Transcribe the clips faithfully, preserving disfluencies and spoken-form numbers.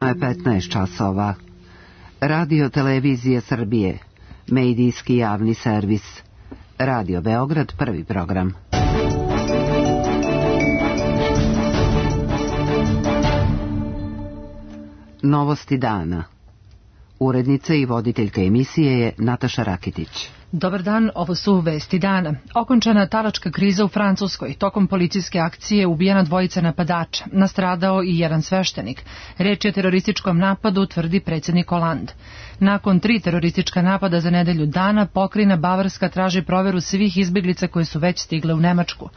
Tačno je petnaest časova. Radio Televizije Srbije, medijski javni servis. Radio Beograd, prvi program. Novosti dana. Urednica i voditeljka emisije je Nataša Rakitić. Dobar dan, ovo su vesti dana. Okončana talačka kriza u Francuskoj. Tokom policijske akcije ubijena dvojica napadača. Nastradao i jedan sveštenik. Reč je o terorističkom napadu, tvrdi predsjednik Hollande. Nakon tri teroristička napada za nedelju dana, pokrajina Bavarska traži proveru svih izbjeglica koje su već stigle u Nemačku.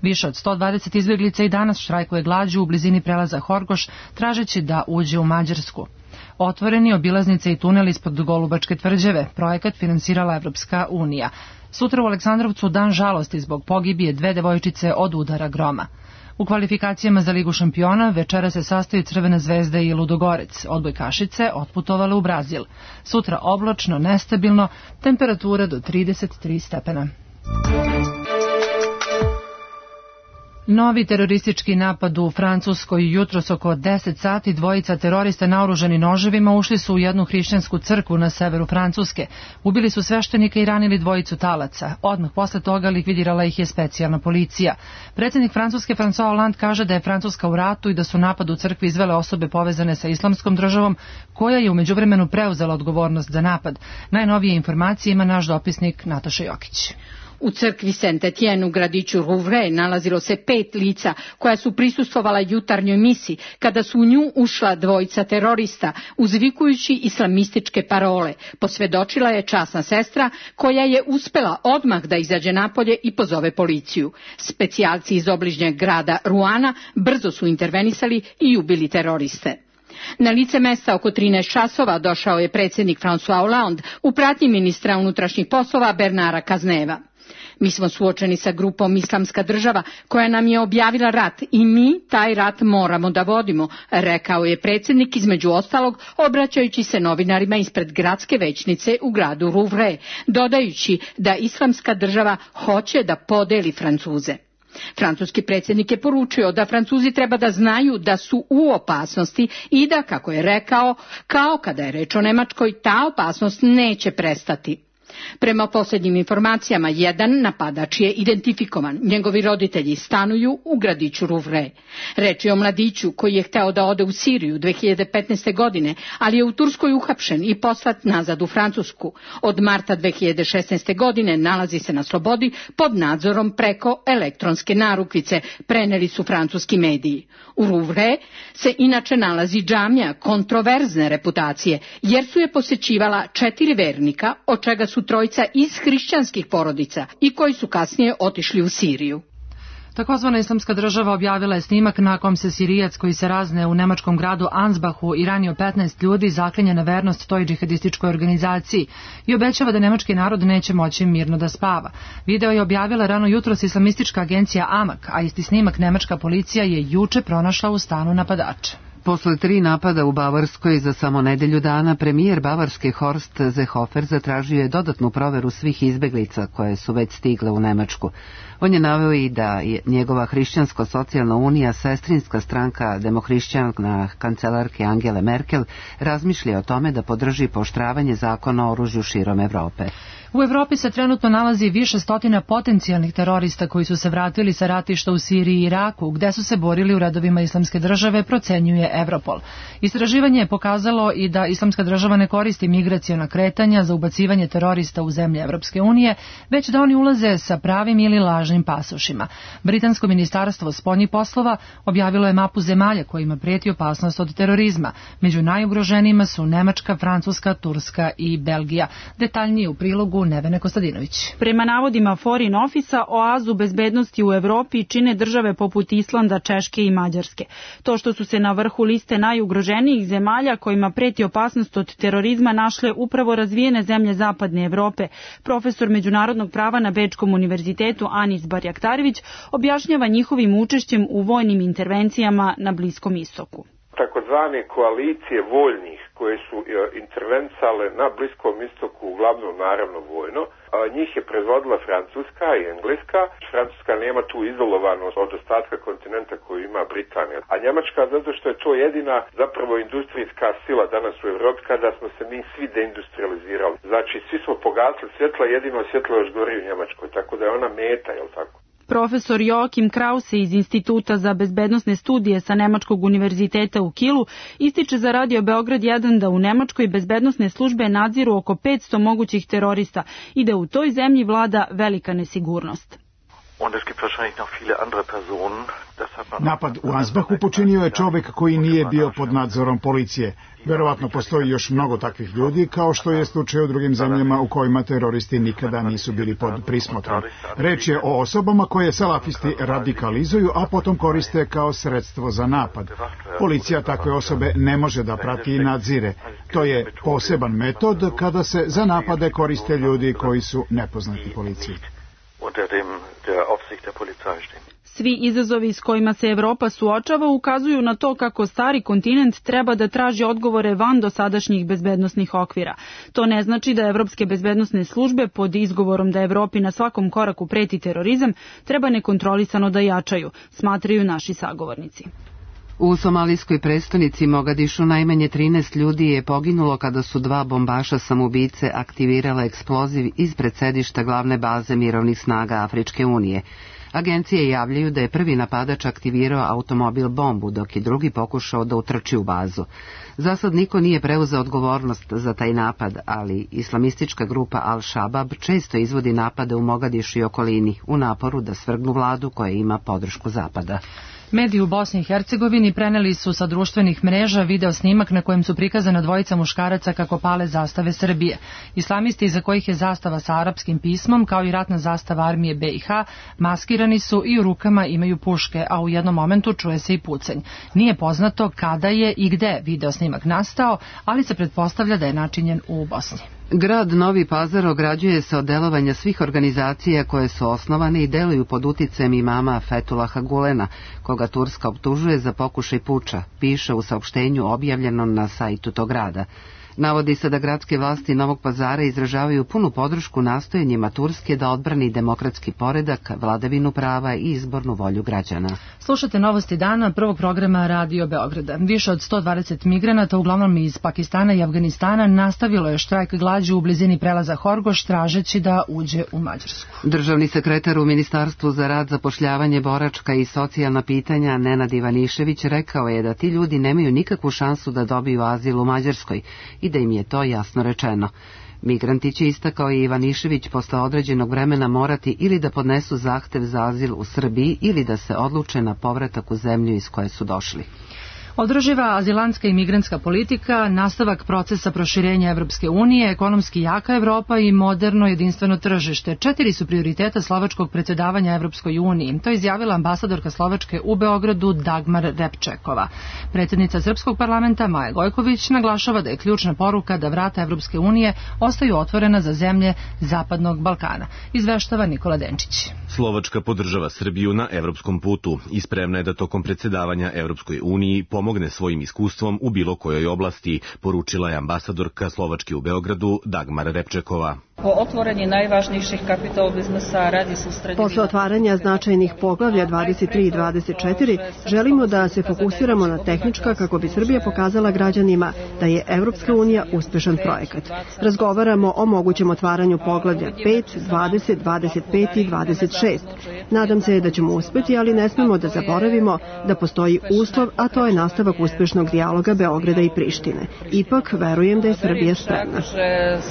Više od sto dvadeset izbjeglica i danas štrajkuje glađu u blizini prelaza Horgoš, tražeći da uđe u Mađarsku. Otvoreni obilaznice i tunel ispod Golubačke tvrđave, projekat finansirala Evropska unija. Sutra u Aleksandrovcu dan žalosti zbog pogibije dve devojčice od udara groma. U kvalifikacijama za Ligu šampiona večera se sastaju Crvena zvezda i Ludogorec. Odbojkašice otputovale u Brazil. Sutra oblačno, nestabilno, temperatura do trideset tri stepena. Novi teroristički napad u Francuskoj. Jutros oko deset sati dvojica terorista naoružani noževima ušli su u jednu hrišćansku crkvu na severu Francuske. Ubili su sveštenika i ranili dvojicu talaca. Odmah posle toga likvidirala ih je specijalna policija. Predsjednik Francuske François Hollande kaže da je Francuska u ratu i da su napad u crkvi izvele osobe povezane sa islamskom državom, koja je u međuvremenu preuzela odgovornost za napad. Najnovije informacije ima naš dopisnik Nataša Jokić. U crkvi Saint-Etienne u gradiću Rouvray nalazilo se pet lica koja su prisustvovala jutarnjoj misi kada su u nju ušla dvojica terorista uzvikujući islamističke parole. Posvjedočila je časna sestra koja je uspela odmah da izađe napolje i pozove policiju. Specijalci iz obližnjeg grada Ruana brzo su intervenisali i ubili teroriste. Na lice mesta oko trinaest časova došao je predsjednik François Hollande u pratnji ministra unutrašnjih poslova Bernara Cazeneva. Mi smo suočeni sa grupom Islamska država koja nam je objavila rat i mi taj rat moramo da vodimo, rekao je predsjednik između ostalog obraćajući se novinarima ispred gradske većnice u gradu Rouvray, dodajući da Islamska država hoće da podeli Francuze. Francuski predsjednik je poručio da Francuzi treba da znaju da su u opasnosti i da, kako je rekao, kao kada je reč o Nemačkoj, ta opasnost neće prestati. Prema posljednjim informacijama, jedan napadač je identifikovan. Njegovi roditelji stanuju u gradiću Rouvray. Reč je o mladiću koji je hteo da ode u Siriju dve hiljade petnaeste. godine, ali je u Turskoj uhapšen i poslat nazad u Francusku. Od marta dve hiljade šesnaeste. godine nalazi se na slobodi pod nadzorom preko elektronske narukvice, preneli su francuski mediji. U Rouvray se inače nalazi džamija kontroverzne reputacije, jer su je posjećivala četiri vernika, od čega su trojica iz hrišćanskih porodica i koji su kasnije otišli u Siriju. Takozvana islamska država objavila je snimak na kom se Sirijac koji se razne u nemačkom gradu Ansbachu i ranio petnaest ljudi zaklinje na vernost toj džihadističkoj organizaciji i obećava da nemački narod neće moći mirno da spava. Video je objavila rano jutros islamistička agencija Amak, a isti snimak nemačka policija je juče pronašla u stanu napadača. Posle tri napada u Bavarskoj za samo nedelju dana, premijer Bavarske Horst Seehofer zatražio je dodatnu proveru svih izbeglica koje su već stigle u Nemačku. On je naveo i da je njegova hrišćansko-socijalna unija, sestrinska stranka demohrišćana kancelarke Angele Merkel, razmišlja o tome da podrži pooštravanje zakona o oružju širom Evrope. U Evropi se trenutno nalazi više stotina potencijalnih terorista koji su se vratili sa ratišta u Siriji i Iraku, gde su se borili u redovima islamske države, procenjuje Europol. Istraživanje je pokazalo i da islamska država ne koristi migraciona kretanja za ubacivanje terorista u zemlje Evropske unije, već da oni ulaze sa pravim ili lažnim pasošima. Britansko ministarstvo spoljnih poslova objavilo je mapu zemalja kojima prijeti opasnost od terorizma. Među najugroženijima su Nemačka, Francuska, Turska i Belgija. Detaljnije u prilogu Nevene Kostadinović. Prema navodima Foreign Office-a, oazu bezbednosti u Evropi čine države poput Islanda, Češke i Mađarske. To što su se na vrhu liste najugroženijih zemalja kojima preti opasnost od terorizma našle upravo razvijene zemlje Zapadne Evrope, profesor međunarodnog prava na Bečkom univerzitetu Anis Barjaktarević objašnjava njihovim učešćem u vojnim intervencijama na Bliskom istoku. takozvane koalicije voljnih koje su intervencale na Bliskom istoku, uglavnom naravno vojno. Njih je predvodila Francuska i Engleska. Francuska nema tu izolovanost od ostatka kontinenta koju ima Britanija. A Njemačka zato što je to jedina zapravo industrijska sila danas u Evropi kada smo se mi svi deindustrializirali. Znači svi smo pogasili svjetla, jedino svjetlo još gori u Njemačkoj, tako da je ona meta, jel tako? Profesor Joachim Krause iz Instituta za bezbednosne studije sa Nemačkog univerziteta u Kielu ističe za Radio Beograd jedan da u Nemačkoj bezbednosne službe nadziru oko petsto mogućih terorista i da u toj zemlji vlada velika nesigurnost. Napad u Ansbachu počinio je čovjek koji nije bio pod nadzorom policije. Verovatno postoji još mnogo takvih ljudi, kao što je slučaj u drugim zemljama u kojima teroristi nikada nisu bili pod prismotrom. Reč je o osobama koje salafisti radikalizuju, a potom koriste kao sredstvo za napad. Policija takve osobe ne može da prati i nadzire. To je poseban metod kada se za napade koriste ljudi koji su nepoznati policiji. Svi izazovi s kojima se Evropa suočava ukazuju na to kako stari kontinent treba da traži odgovore van dosadašnjih bezbednosnih okvira. To ne znači da evropske bezbednosne službe pod izgovorom da Evropi na svakom koraku preti terorizam treba nekontrolisano da jačaju, smatraju naši sagovornici. U somalijskoj prestonici Mogadišu najmanje trinaest ljudi je poginulo kada su dva bombaša samoubice aktivirala eksploziv ispred sedišta glavne baze mirovnih snaga Afričke unije. Agencije javljaju da je prvi napadač aktivirao automobil bombu, dok je drugi pokušao da utrči u bazu. Zasad niko nije preuzeo odgovornost za taj napad, ali islamistička grupa Al-Shabaab često izvodi napade u Mogadišu i okolini u naporu da svrgnu vladu koja ima podršku Zapada. Mediji u Bosni i Hercegovini preneli su sa društvenih mreža video snimak na kojem su prikazana dvojica muškaraca kako pale zastave Srbije. Islamisti iza kojih je zastava sa arapskim pismom, kao i ratna zastava armije B i H, maskirani su i u rukama imaju puške, a u jednom momentu čuje se i pucanj. Nije poznato kada je i gde video snimak nastao, ali se pretpostavlja da je načinjen u Bosni. Grad Novi Pazar ograđuje se od delovanja svih organizacija koje su osnovane i deluju pod uticajem imama Fetulaha Gulena, koga Turska optužuje za pokušaj puča, piše u saopštenju objavljenom na sajtu tog grada. Navodi se da gradske vlasti Novog Pazara izražavaju punu podršku nastojanjima Turske da odbrani demokratski poredak, vladavinu prava i izbornu volju građana. Slušate novosti dana prvog programa Radio Beograda. Više od sto dvadeset migranata, uglavnom iz Pakistana i Afganistana, nastavilo je štrajk glađu u blizini prelaza Horgoš, tražeći da uđe u Mađarsku. Državni sekretar u Ministarstvu za rad, zapošljavanje, boračka i socijalna pitanja Nenad Ivanišević rekao je da ti ljudi nemaju nikakvu šansu da dobiju azil u Mađarskoj i da im je to jasno rečeno. Migranti će, istakao i Ivanišević, posle određenog vremena morati ili da podnesu zahtev za azil u Srbiji ili da se odluče na povratak u zemlju iz koje su došli. Održiva azilantska i migrantska politika, nastavak procesa proširenja Evropske unije, ekonomski jaka Evropa i moderno jedinstveno tržište. Četiri su prioriteta slovačkog predsjedavanja Evropskoj uniji. To je izjavila ambasadorka Slovačke u Beogradu Dagmar Repčekova. Predsjednica Srpskog parlamenta Maja Gojković naglašava da je ključna poruka da vrata Evropske unije ostaju otvorena za zemlje Zapadnog Balkana. Izveštava Nikola Denčić. Slovačka podržava Srbiju na evropskom putu i spremna je da tokom predsjedavanja Evropskoj uniji pomogne svojim iskustvom u bilo kojoj oblasti, poručila je ambasadorka Slovačke u Beogradu Dagmar Repčekova. Po otvorenju najvažnijih kapital biznesa radi se u Posle otvaranja značajnih poglavlja dvadeset tri i dvadeset četiri želimo da se fokusiramo na tehnička kako bi Srbija pokazala građanima da je Evropska unija uspešan projekat. Razgovaramo o mogućem otvaranju poglavlja pet, dvadeset, dvadeset pet i dvadeset šest. Nadam se da ćemo uspeti, ali ne smemo da zaboravimo da postoji uslov, a to je nastavak uspešnog dijaloga Beograda i Prištine. Ipak, verujem da je Srbija spremna.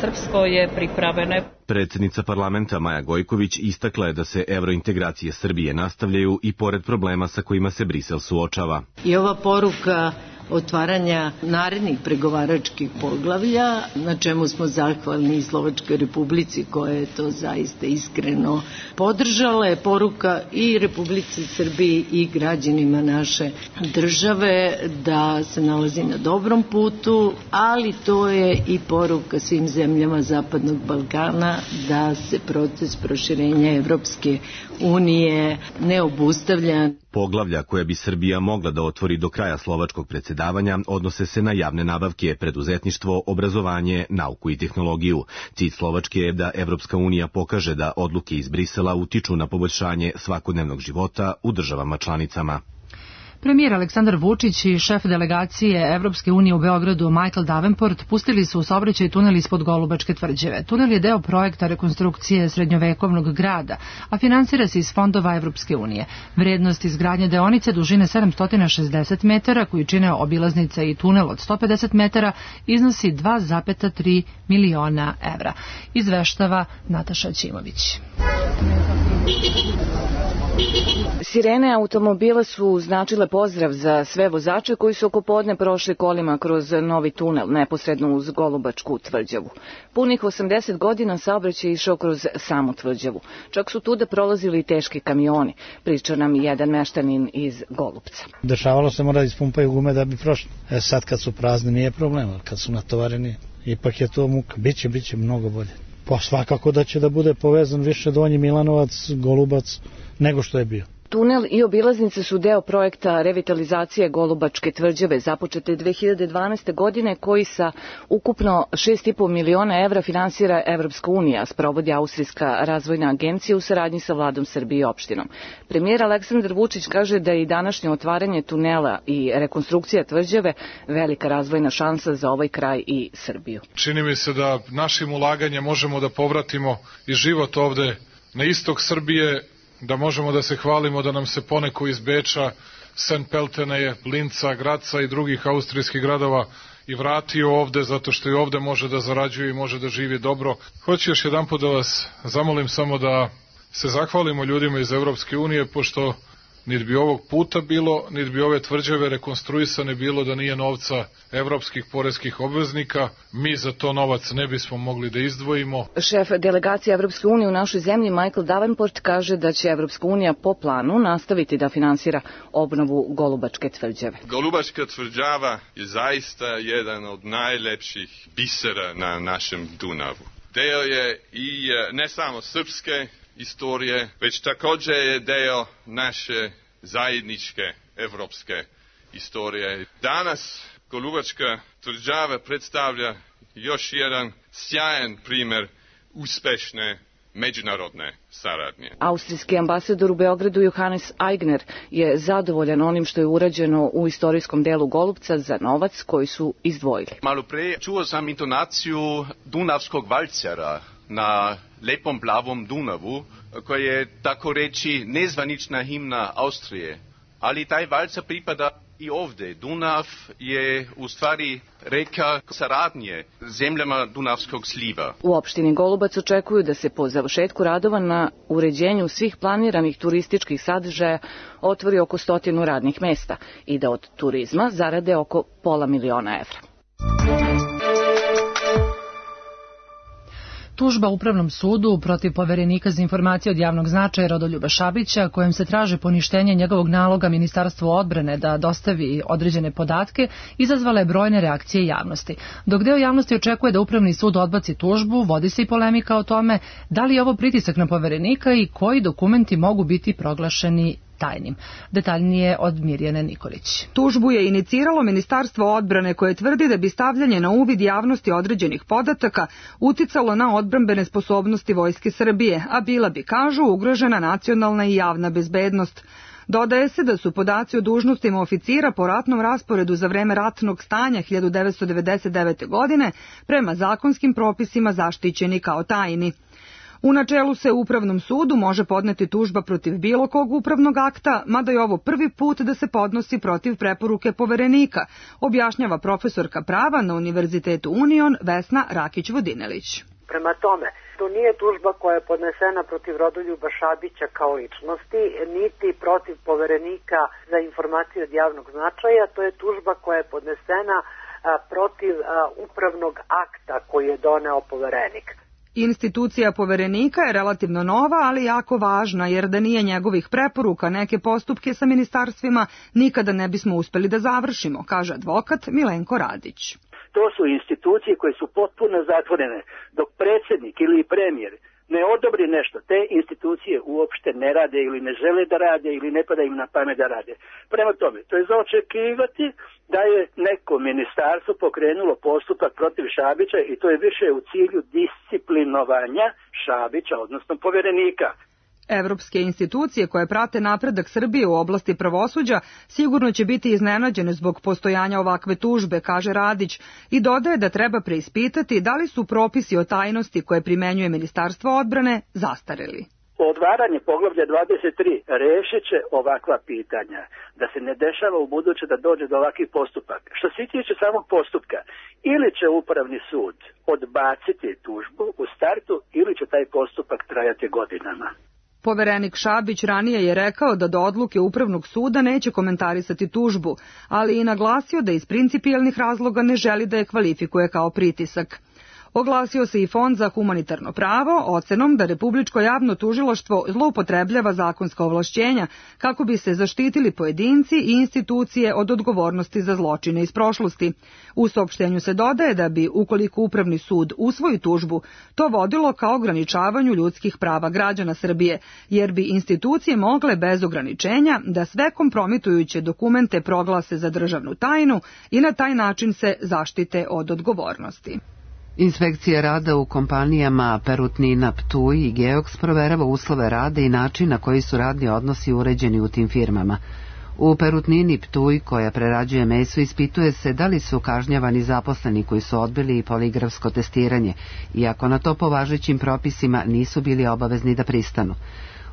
Srpsko je pripravljeno. Predsjednica parlamenta Maja Gojković istakla je da se evrointegracije Srbije nastavljaju i pored problema sa kojima se Brisel suočava. I ova poruka otvaranja narednih pregovaračkih poglavlja, na čemu smo zahvalni i Slovačkoj Republici koja je to zaista iskreno podržala, je poruka i Republici Srbiji i građanima naše države da se nalazi na dobrom putu, ali to je i poruka svim zemljama Zapadnog Balkana da se proces proširenja Evropske unije ne obustavlja. Poglavlja koja bi Srbija mogla da otvori do kraja slovačkog predsjedavanja odnose se na javne nabavke, preduzetništvo, obrazovanje, nauku i tehnologiju. Cilj Slovačke je da Evropska unija pokaže da odluke iz Brisela utiču na poboljšanje svakodnevnog života u državama članicama. Premijer Aleksandar Vučić i šef delegacije Evropske unije u Beogradu Michael Davenport pustili su u saobraćaj tunel ispod Golubačke tvrđave. Tunel je deo projekta rekonstrukcije srednjovekovnog grada, a finansira se iz fondova Evropske unije. Vrednost izgradnje deonice dužine sedamsto šezdeset metara, koju čine obilaznica i tunel od sto pedeset metara, iznosi dva zarez tri miliona evra. Izveštava Nataša Ćimović. Sirene automobila su značile pozdrav za sve vozače koji su oko podne prošli kolima kroz novi tunel neposredno uz Golubačku tvrđavu. Punih osamdeset godina saobraćaj išao kroz samu tvrđavu. Čak su tuda prolazili i teški kamioni, priča nam jedan meštanin iz Golupca. Dešavalo se mora da ispumpaju gume da bi prošli. E sad kad su prazne nije problem, ali kad su natovareni ipak je to muka. Biće, biće mnogo bolje. Pa svakako da će da bude povezan više Donji Milanovac, Golubac, nego što je bio. Tunel i obilaznice su deo projekta revitalizacije Golubačke tvrđave započete dve hiljade dvanaeste. godine koji sa ukupno šest i po miliona evra finansira Evropska unija, sprovodi Austrijska razvojna agencija u saradnji sa vladom Srbije i opštinom. Premijer Aleksandar Vučić kaže da je i današnje otvaranje tunela i rekonstrukcija tvrđave velika razvojna šansa za ovaj kraj i Srbiju. Čini mi se da našim ulaganjem možemo da povratimo i život ovde na istok Srbije, da možemo da se hvalimo da nam se poneko iz Beča, Saint Pelteneje, Linca, Graca i drugih austrijskih gradova i vratio ovde, zato što i ovde može da zarađuje i može da živi dobro. Hoću još jedan put da vas zamolim samo da se zahvalimo ljudima iz Evropske unije, pošto niti bi ovog puta bilo, niti bi ove tvrđave rekonstruisane bilo da nije novca evropskih poreskih obveznika. Mi za to novac ne bismo mogli da izdvojimo. Šef delegacije Evropske unije u našoj zemlji Michael Davenport kaže da će Evropska unija po planu nastaviti da finansira obnovu Golubačke tvrđave. Golubačka tvrđava je zaista jedan od najlepših bisera na našem Dunavu. Deo je i ne samo srpske istorije, već također je deo naše zajedničke evropske istorije. Danas Golubačka tvrđava predstavlja još jedan sjajan primjer uspešne međunarodne saradnje. Austrijski ambasador u Beogradu Johannes Aigner je zadovoljan onim što je urađeno u istorijskom delu Golupca za novac koji su izdvojili. Malo pre čuo sam intonaciju dunavskog valcera na lepom plavom Dunavu, koja je tako reći nezvanična himna Austrije. Ali taj valcer pripada i ovdje. Dunav je u stvari reka saradnje zemljama Dunavskog sliva. U opštini Golubac očekuju da se po završetku radova na uređenju svih planiranih turističkih sadržaja otvori oko stotinu radnih mesta i da od turizma zarade oko pola miliona evra. Tužba Upravnom sudu protiv poverenika za informacije od javnog značaja Rodoljuba Šabića, kojem se traže poništenje njegovog naloga Ministarstvu odbrane da dostavi određene podatke, izazvala je brojne reakcije javnosti. Dok deo javnosti očekuje da Upravni sud odbaci tužbu, vodi se i polemika o tome da li je ovo pritisak na poverenika i koji dokumenti mogu biti proglašeni tajnim. Detaljnije od Mirjane Nikolić. Tužbu je iniciralo Ministarstvo odbrane koje tvrdi da bi stavljanje na uvid javnosti određenih podataka uticalo na odbrambene sposobnosti Vojske Srbije, a bila bi, kažu, ugrožena nacionalna i javna bezbednost. Dodaje se da su podaci o dužnostima oficira po ratnom rasporedu za vreme ratnog stanja hiljadu devetsto devedeset devete. godine prema zakonskim propisima zaštićeni kao tajni. U načelu se Upravnom sudu može podneti tužba protiv bilo kog upravnog akta, mada je ovo prvi put da se podnosi protiv preporuke poverenika, objašnjava profesorka prava na Univerzitetu Union Vesna Rakić-Vodinelić. Prema tome, to nije tužba koja je podnesena protiv Rodoljuba Šabića kao ličnosti, niti protiv poverenika za informacije od javnog značaja, to je tužba koja je podnesena a, protiv a, upravnog akta koji je doneo poverenik. Institucija poverenika je relativno nova, ali jako važna, jer da nije njegovih preporuka, neke postupke sa ministarstvima nikada ne bismo uspeli da završimo, kaže advokat Milenko Radić. To su institucije koje su potpuno zatvorene, dok predsjednik ili premijer ne odobri nešto, te institucije uopšte ne rade ili ne žele da rade ili ne pada im na pamet da rade. Prema tome, to je za očekivati da je neko ministarstvo pokrenulo postupak protiv Šabića i to je više u cilju disciplinovanja Šabića, odnosno poverenika. Evropske institucije koje prate napredak Srbije u oblasti pravosuđa sigurno će biti iznenađene zbog postojanja ovakve tužbe, kaže Radić, i dodaje da treba preispitati da li su propisi o tajnosti koje primenjuje Ministarstvo odbrane zastareli. Otvaranje poglavlja dvadeset tri rešit će ovakva pitanja, da se ne dešava u buduće da dođe do ovakvih postupaka. Što se tiče samog postupka, ili će upravni sud odbaciti tužbu u startu, ili će taj postupak trajati godinama. Poverenik Šabić ranije je rekao da do odluke Upravnog suda neće komentarisati tužbu, ali i naglasio da iz principijelnih razloga ne želi da je kvalifikuje kao pritisak. Oglasio se i Fond za humanitarno pravo ocenom da Republičko javno tužilaštvo zloupotrebljava zakonska ovlašćenja kako bi se zaštitili pojedinci i institucije od odgovornosti za zločine iz prošlosti. U saopštenju se dodaje da bi, ukoliko Upravni sud usvoji tužbu, to vodilo ka ograničavanju ljudskih prava građana Srbije, jer bi institucije mogle bez ograničenja da sve kompromitujuće dokumente proglase za državnu tajnu i na taj način se zaštite od odgovornosti. Inspekcija rada u kompanijama Perutnina Ptuj i Geoks proverava uslove rada i način na koji su radni odnosi uređeni u tim firmama. U Perutnini Ptuj, koja prerađuje meso, ispituje se da li su kažnjavani zaposleni koji su odbili poligrafsko testiranje, iako na to po važećim propisima nisu bili obavezni da pristanu.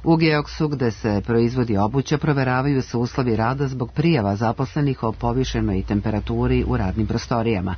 U Geoksu, gde se proizvodi obuća, proveravaju se uslovi rada zbog prijava zaposlenih o povišenoj temperaturi u radnim prostorijama.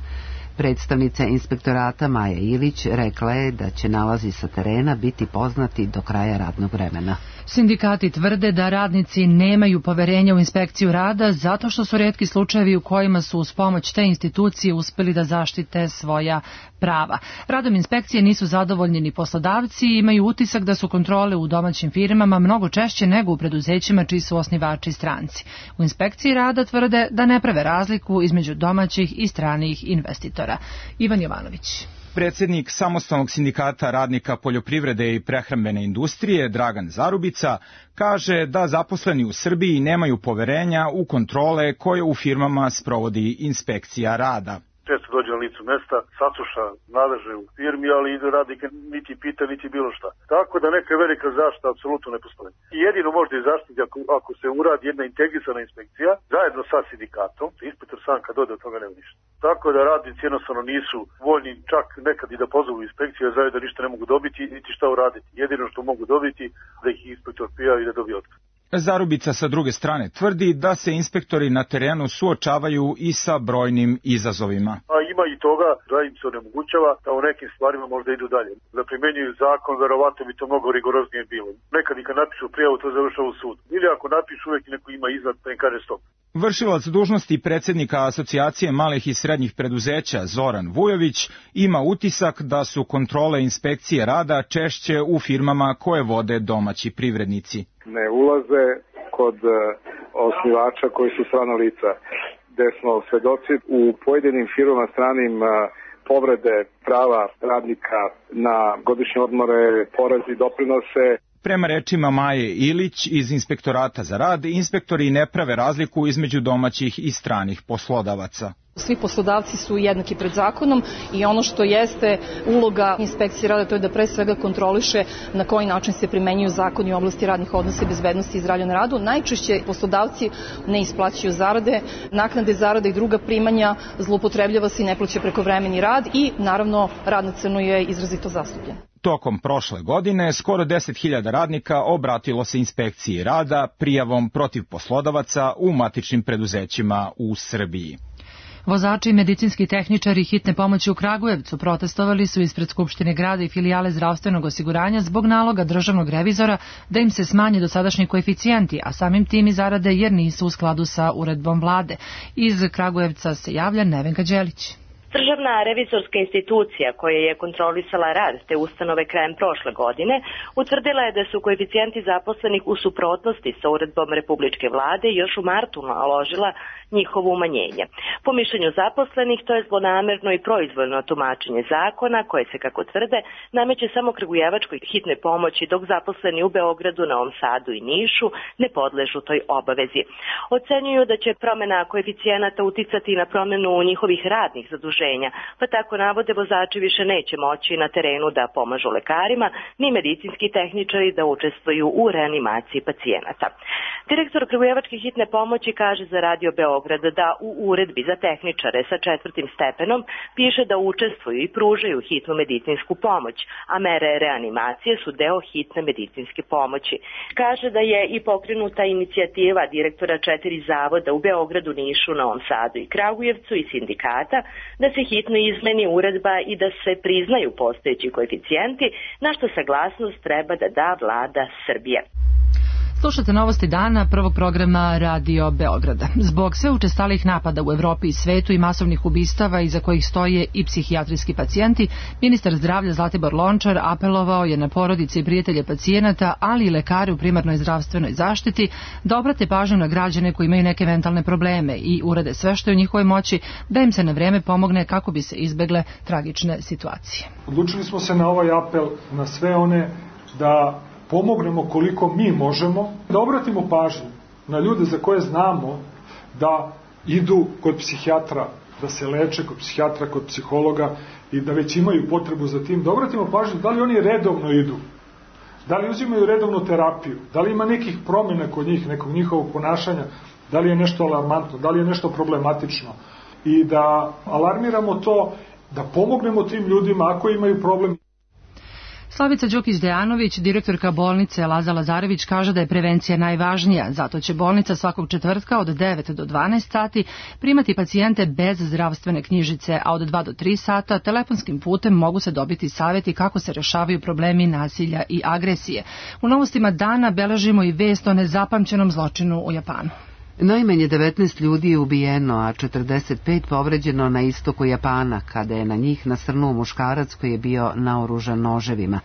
Predstavnica inspektorata Maja Ilić rekla je da će nalazi sa terena biti poznati do kraja radnog vremena. Sindikati tvrde da radnici nemaju poverenja u inspekciju rada zato što su retki slučajevi u kojima su uz pomoć te institucije uspeli da zaštite svoja prava. Radom inspekcije nisu zadovoljni ni poslodavci i imaju utisak da su kontrole u domaćim firmama mnogo češće nego u preduzećima čiji su osnivači stranci. U inspekciji rada tvrde da ne prave razliku između domaćih i stranih investitora. Ivan Jovanović. Predsjednik Samostalnog sindikata radnika poljoprivrede i prehrambene industrije, Dragan Zarubica, kaže da zaposleni u Srbiji nemaju poverenja u kontrole koje u firmama sprovodi inspekcija rada. Često dođe na licu mesta, sasluša nadležne u firmi, ali ide radnika niti pita, niti bilo šta. Tako da neka velika zaštita apsolutno ne postoji. I jedino možda i zaštiti ako, ako se uradi jedna integrisana inspekcija, zajedno sa sindikatom, inspektor sam kad ode od toga nema ništa. Tako da radnici jednostavno nisu voljni čak nekad i da pozovu inspekciju, a zajedno ništa ne mogu dobiti, niti šta uraditi. Jedino što mogu dobiti, da ih inspektor prijavi i da dobije otkaz. Zarubica sa druge strane tvrdi da se inspektori na terenu suočavaju i sa brojnim izazovima. A ima i toga da im se onemogućava da u nekim stvarima možda idu dalje. Da primenjuju zakon, verovatno bi to mnogo rigoroznije bilo. Nekad i kad napišu prijavu, to završava u sudu. Ili ako napišu, uvijek neko ima iznad, pa im kaže stop. Vršilac dužnosti predsjednika Asocijacije malih i srednjih preduzeća Zoran Vujović ima utisak da su kontrole inspekcije rada češće u firmama koje vode domaći privrednici. Ne ulaze kod osnivača koji su strana lica, gde smo svedoci u pojedinim firmama stranim povrede prava radnika na godišnje odmore, porezi, doprinose. Prema rečima Maje Ilić iz Inspektorata za rad, inspektori ne prave razliku između domaćih i stranih poslodavaca. Svi poslodavci su jednaki pred zakonom i ono što jeste uloga inspekcije rada to je da pre svega kontroliše na koji način se primenjuju zakoni u oblasti radnih odnosa i bezbednosti i zdravlja na radu. Najčešće poslodavci ne isplaćuju zarade, naknade zarade i druga primanja, zloupotrebljava se i ne plaća prekovremeni rad i naravno rad na crno je izrazito zastupljen. Tokom prošle godine skoro deset hiljada radnika obratilo se inspekciji rada prijavom protiv poslodavaca u matičnim preduzećima u Srbiji. Vozači i medicinski tehničari hitne pomoći u Kragujevcu protestovali su ispred Skupštine grada i filijale zdravstvenog osiguranja zbog naloga državnog revizora da im se smanje dosadašnji koeficijenti, a samim tim i zarade jer nisu u skladu sa uredbom vlade. Iz Kragujevca se javlja Nevenka Đelić. Državna revizorska institucija koja je kontrolisala rad te ustanove krajem prošle godine utvrdila je da su koeficijenti zaposlenih u suprotnosti sa uredbom Republičke vlade i još u martu naložila njihovo umanjenje. Po mišljenju zaposlenih to je zlonamerno i proizvoljno tumačenje zakona koje se, kako tvrde, nameće samo Kragujevačkoj hitne pomoći, dok zaposleni u Beogradu, Novom Sadu i Nišu ne podležu toj obavezi. Ocenjuju da će promena koeficijenata uticati na promenu njihovih radnih zaduženja, pa tako navode vozači više neće moći na terenu da pomažu lekarima, ni medicinski tehničari da učestvuju u reanimaciji pacijenata. Direktor Kragujevačke hitne pomoći kaže za Radio Beograd da u uredbi za tehničare sa četvrtim stepenom piše da učestvuju i pružaju hitnu medicinsku pomoć, a mere reanimacije su deo hitne medicinske pomoći. Kaže da je i pokrenuta inicijativa direktora četiri zavoda u Beogradu, Nišu, Novom Sadu i Kragujevcu i sindikata da se hitno izmeni uredba i da se priznaju postojeći koeficijenti, na što saglasnost treba da da vlada Srbije. Slušate novosti dana prvog programa Radio Beograda. Zbog sve učestalih napada u Evropi i svetu i masovnih ubistava iza kojih stoje i psihijatrijski pacijenti, ministar zdravlja Zlatibor Lončar apelovao je na porodice i prijatelje pacijenata, ali i lekare u primarnoj zdravstvenoj zaštiti da obrate pažnju na građane koji imaju neke mentalne probleme i urade sve što je u njihovoj moći da im se na vreme pomogne kako bi se izbegle tragične situacije. Odlučili smo se na ovaj apel na sve one da pomognemo koliko mi možemo, da obratimo pažnju na ljude za koje znamo da idu kod psihijatra, da se leče kod psihijatra, kod psihologa i da već imaju potrebu za tim, da obratimo pažnju da li oni redovno idu, da li uzimaju redovnu terapiju, da li ima nekih promjena kod njih, nekog njihovog ponašanja, da li je nešto alarmantno, da li je nešto problematično i da alarmiramo to, da pomognemo tim ljudima ako imaju problem. Slavica Đukić-Dejanović, direktorka bolnice Laza Lazarević, kaže da je prevencija najvažnija, zato će bolnica svakog četvrtka od devet do dvanaest sati primati pacijente bez zdravstvene knjižice, a od dva do tri sata telefonskim putem mogu se dobiti savjeti kako se rešavaju problemi nasilja i agresije. U novostima dana beležimo i vest o nezapamćenom zločinu u Japanu. Najmanje devetnaest ljudi je ubijeno, a četrdeset pet povređeno na istoku Japana, kada je na njih nasrnuo muškarac koji je bio naoružan noževima.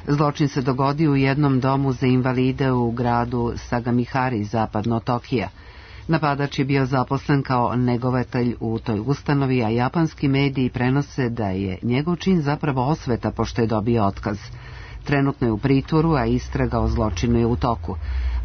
Zločin se dogodio u jednom domu za invalide u gradu Sagamihari, zapadno od Tokija. Napadač je bio zaposlen kao negovatelj u toj ustanovi, a japanski mediji prenose da je njegov čin zapravo osveta pošto je dobio otkaz. Trenutno je u pritvoru, a istraga o zločinu je u toku.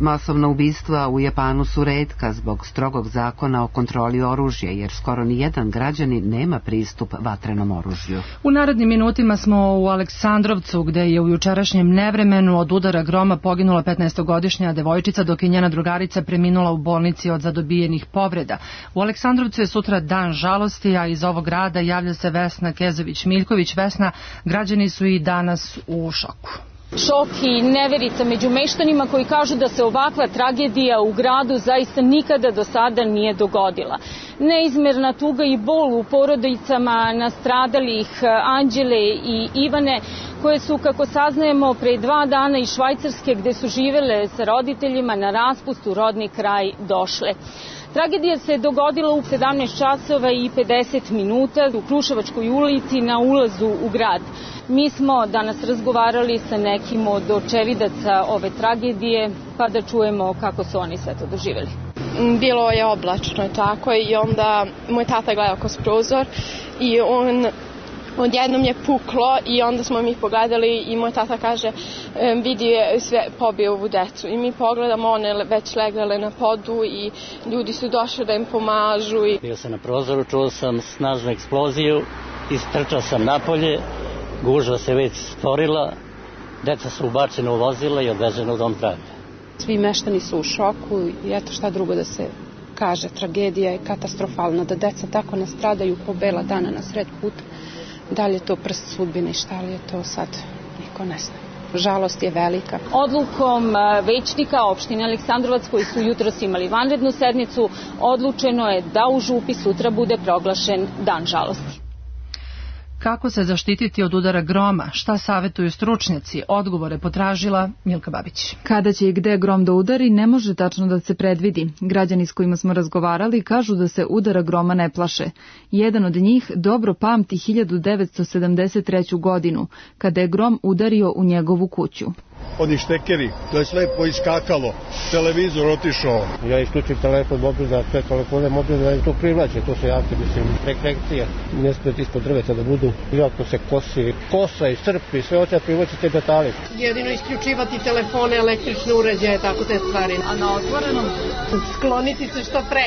Masovna ubistva u Japanu su retka zbog strogog zakona o kontroli oružja, jer skoro ni jedan građanin nema pristup vatrenom oružju. U narednim minutima smo u Aleksandrovcu, gde je u jučerašnjem nevremenu od udara groma poginula petnaestogodišnja devojčica, dok je njena drugarica preminula u bolnici od zadobijenih povreda. U Aleksandrovcu je sutra dan žalosti, a iz ovog grada javlja se Vesna Kezović-Miljković. Vesna, građani su i danas u šoku. Šok i neverica među meštanima koji kažu da se ovakva tragedija u gradu zaista nikada do sada nije dogodila. Neizmerna tuga i bol u porodicama nastradalih Anđele i Ivane, koje su, kako saznajemo, pre dva dana iz Švajcarske, gde su živele sa roditeljima na raspust u rodni kraj, došle. Tragedija se dogodila u sedamnaest časova i pedeset minuta u Kruševačkoj ulici na ulazu u grad. Mi smo danas razgovarali sa nekim od očevidaca ove tragedije, pa da čujemo kako su oni sve to doživjeli. Bilo je oblačno tako i onda moj tata gledao kroz prozor i on odjednom je puklo i onda smo mi pogledali i moj tata kaže vidi je sve pobio ovu decu i mi pogledamo, one već legle na podu i ljudi su došli da im pomažu. I... Bio sam na prozoru, čuo sam snažnu eksploziju, istrčao sam napolje, gužva se već stvorila, deca su ubačena u vozila i odvežena u dom zdravlja. Svi meštani su u šoku i eto šta drugo da se kaže, tragedija je katastrofalna, da deca tako nastradaju po bela dana na sred puta. Da li je to prst sudbine i šta li je to sad, niko ne zna. Žalost je velika. Odlukom većnika opštine Aleksandrovac, koji su jutros imali vanrednu sednicu, odlučeno je da u Župi sutra bude proglašen dan žalosti. Kako se zaštititi od udara groma? Šta savjetuju stručnjaci? Odgovore potražila Milka Babić. Kada će i gde grom da udari, ne može tačno da se predvidi. Građani s kojima smo razgovarali kažu da se udara groma ne plaše. Jedan od njih dobro pamti hiljadu devetsto sedamdeset treću godinu, kada je grom udario u njegovu kuću. Oni štekeri, to je sve poiskakalo, televizor otišao. Ja isključim telefon mobilna, sve telefone mobilne, to privlače, to se jako, mislim, frekvencija. Ne smijete ispod drveta da budu, jako se kosi, kosa i srpi, sve oće privlači te detalje. Jedino isključivati telefone, električne uređaje, tako te stvari. A na otvorenom? Skloniti se što pre.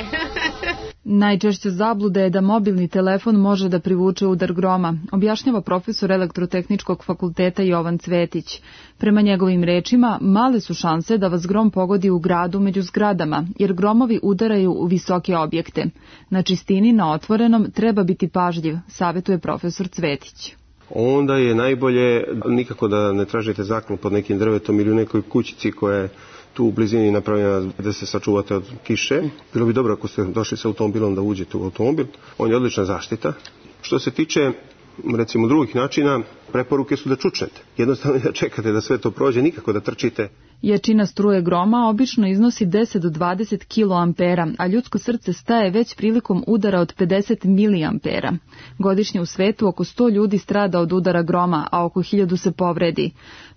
Najčešća zabluda je da mobilni telefon može da privuče udar groma, objašnjava profesor Elektrotehničkog fakulteta Jovan Cvetić. Prema njegovim rečima, male su šanse da vas grom pogodi u gradu među zgradama, jer gromovi udaraju u visoke objekte. Na čistini, na otvorenom, treba biti pažljiv, savjetuje profesor Cvetić. Onda je najbolje nikako da ne tražite zaklon pod nekim drvetom ili u nekoj kućici koja je tu u blizini napravljena da se sačuvate od kiše. Bilo bi dobro ako ste došli sa automobilom da uđete u automobil. On je odlična zaštita. Što se tiče recimo drugih načina, preporuke su da čučnete. Jednostavno da čekate da sve to prođe, nikako da trčite. Jačina struje groma obično iznosi deset do dvadeset kiloampera, a ljudsko srce staje već prilikom udara od pedeset miliampera. Godišnje u svetu oko sto ljudi strada od udara groma, a oko hiljadu se povredi.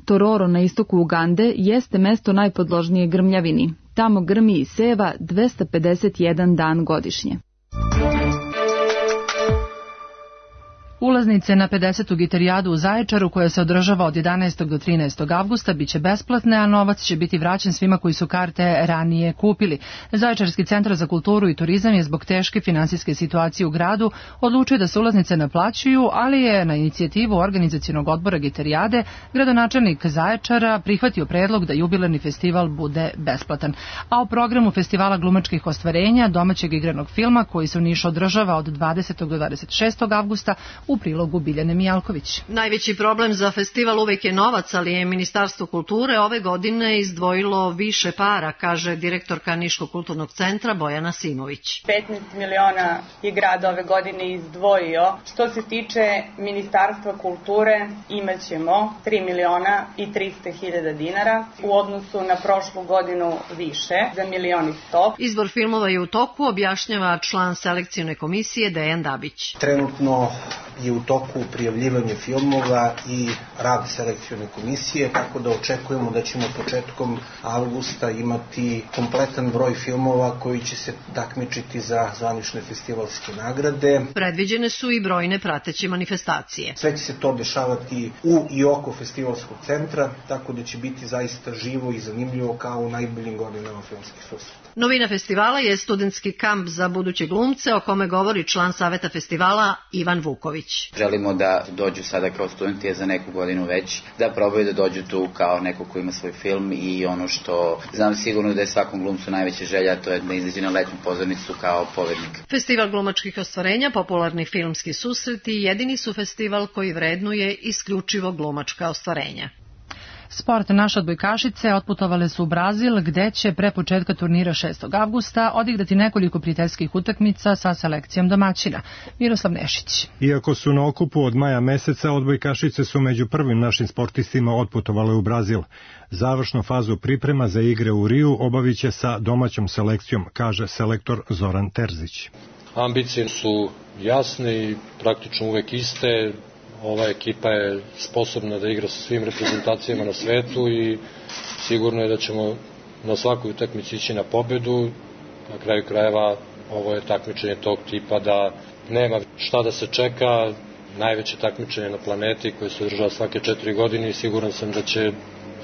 Tororo na istoku Ugande jeste mesto najpodložnije grmljavini. Tamo grmi i seva dvesta pedeset jedan dan godišnje. Ulaznice na pedesetu gitarijadu u Zaječaru, koja se održava od jedanaestog do trinaestog avgusta, biće besplatne, a novac će biti vraćen svima koji su karte ranije kupili. Zaječarski centar za kulturu i turizam je zbog teške finansijske situacije u gradu odlučio da se ulaznice naplaćuju, ali je na inicijativu organizacionog odbora gitarijade gradonačelnik Zaječara prihvatio predlog da jubilarni festival bude besplatan. A u programu festivala glumačkih ostvarenja, domaćeg igranog filma, koji se u Nišu održava od dvadesetog do dvadeset šestog avgusta, u prilogu Biljane Mijalković. Najveći problem za festival uvek je novac, ali je Ministarstvo kulture ove godine izdvojilo više para, kaže direktorka Niškog kulturnog centra Bojana Simović. petnaest miliona je grad ove godine izdvojio. Što se tiče Ministarstva kulture, imaćemo tri miliona i trista hiljada dinara, u odnosu na prošlu godinu više, za milion i sto. Izbor filmova je u toku, objašnjava član selekcijne komisije Dejan Dabić. Trenutno je u toku prijavljivanje filmova i rad selekcijone komisije, tako da očekujemo da ćemo početkom avgusta imati kompletan broj filmova koji će se takmičiti za zvanične festivalske nagrade. Predviđene su i brojne prateće manifestacije. Sve će se to dešavati u i oko festivalskog centra, tako da će biti zaista živo i zanimljivo kao u najboljim godinama filmskih susreta. Novina festivala je studentski kamp za buduće glumce, o kome govori član saveta festivala Ivan Vuković. Želimo da dođu sada kao studenti za neku godinu već, da probaju da dođu tu kao neko ko ima svoj film i ono što znam sigurno da je svakom glumcu najveća želja, to je da izađe na letnju pozornicu kao povednik. Festival glumačkih ostvarenja, popularni filmski susreti, jedini su festival koji vrednuje isključivo glumačka ostvarenja. Sport. Naše odbojkašice otputovale su u Brazil, gde će pre početka turnira šestog avgusta odigrati nekoliko prijateljskih utakmica sa selekcijom domaćina. Miroslav Nešić. Iako su na okupu od maja meseca, odbojkašice su među prvim našim sportistima otputovale u Brazil. Završnu fazu priprema za igre u Riju obavit će sa domaćom selekcijom, kaže selektor Zoran Terzić. Ambicije su jasne i praktično uvek iste. Ova ekipa je sposobna da igra sa svim reprezentacijama na svetu i sigurno je da ćemo na svakoj utakmici ići na pobedu. Na kraju krajeva ovo je takmičenje tog tipa da nema šta da se čeka, najveće takmičenje na planeti koje se održava svake četiri godine i siguran sam da će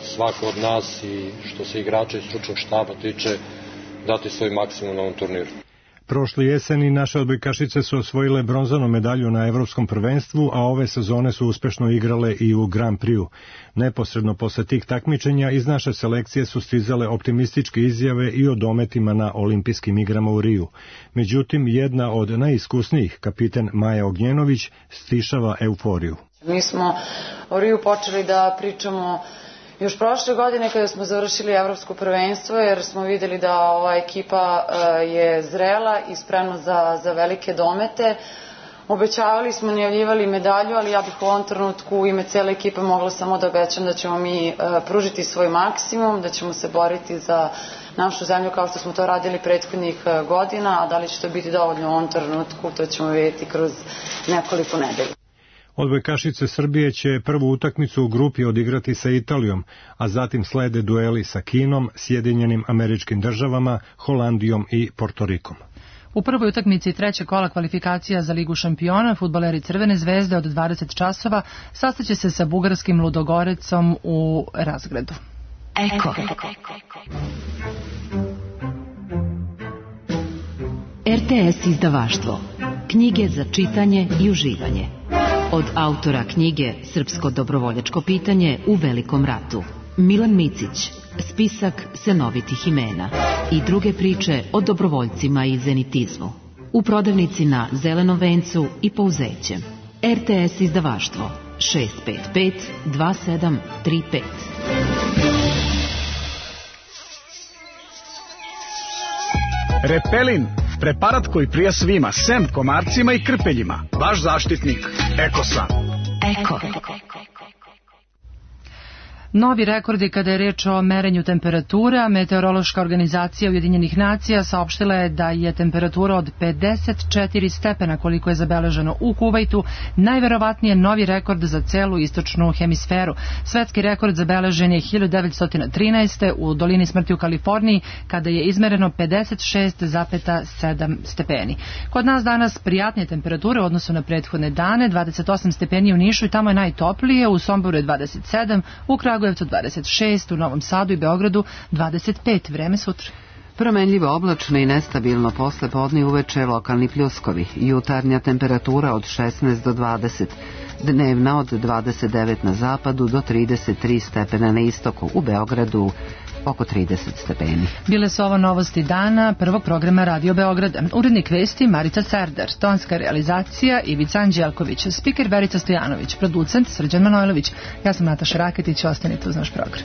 svako od nas i što se igrača i stručnog štaba tiče dati svoj maksimum na ovom turniru. Prošle jeseni naše odbojkašice su osvojile bronzanu medalju na evropskom prvenstvu, a ove sezone su uspešno igrale i u Grand Prix-u. Neposredno posle tih takmičenja iz naše selekcije su stizale optimističke izjave i o dometima na olimpijskim igrama u Riju. Međutim, jedna od najiskusnijih, kapiten Maja Ognjenović, stišava euforiju. Mi smo o Riju počeli da pričamo još prošle godine kada smo završili evropsko prvenstvo, jer smo videli da ova ekipa je zrela i spremna za, za velike domete. Obećavali smo, najavljivali medalju, ali ja bih u ovom trenutku u ime cele ekipe mogla samo da obećam da ćemo mi pružiti svoj maksimum, da ćemo se boriti za našu zemlju kao što smo to radili prethodnih godina, a da li će to biti dovoljno u ovom trenutku, to ćemo vidjeti kroz nekoliko nedelja. Odbojkašice Srbije će prvu utakmicu u grupi odigrati sa Italijom, a zatim slede dueli sa Kinom, Sjedinjenim Američkim Državama, Holandijom i Portorikom. U prvoj utakmici trećeg kola kvalifikacija za Ligu šampiona fudbaleri Crvene zvezde od dvadeset časova sastaće se sa bugarskim Ludogorecom u Razgradu. Eko. R T S izdavaštvo. Knjige za čitanje i uživanje. Od autora knjige Srpsko dobrovoljačko pitanje u Velikom ratu. Milan Micić, spisak senovitih imena i druge priče o dobrovoljcima i zenitizmu. U prodavnici na Zelenom vencu i Pouzećem. R T S izdavaštvo šest pet pet dva sedam tri pet. Repelin, preparat koji prija svima, sem komarcima i krpeljima. Vaš zaštitnik, Ekosan. Eko. Novi rekordi kada je reč o merenju temperatura. Meteorološka organizacija Ujedinjenih nacija saopštila je da je temperatura od pedeset četiri stepena koliko je zabeleženo u Kuvajtu najverovatnije novi rekord za celu istočnu hemisferu. Svetski rekord zabeležen je hiljadu devetsto trinaeste. u dolini smrti u Kaliforniji kada je izmereno pedeset šest zarez sedam stepeni. Kod nas danas prijatnije temperature u odnosu na prethodne dane, dvadeset osam stepeni u Nišu i tamo je najtoplije, u Somboru je dvadeset sedam, u Kragujevcu dvadeset šest, u Novom Sadu i Beogradu dvadeset pet. Vreme sutra. Promenljivo oblačno i nestabilno posle podne uveče lokalni pljuskovi. Jutarnja temperatura od šesnaest do dvadeset. Dnevna od dvadeset devet na zapadu do trideset tri stepena na istoku. U Beogradu oko trideset stepeni. Bile su ovo novosti dana prvog programa Radio Beograda. Urednik vesti Marica Serdar, tonska realizacija Ivica Anđelković, spiker Verica Stojanović, producent Srđan Manojlović. Ja sam Nataša Raketić, ostanite uz naš program.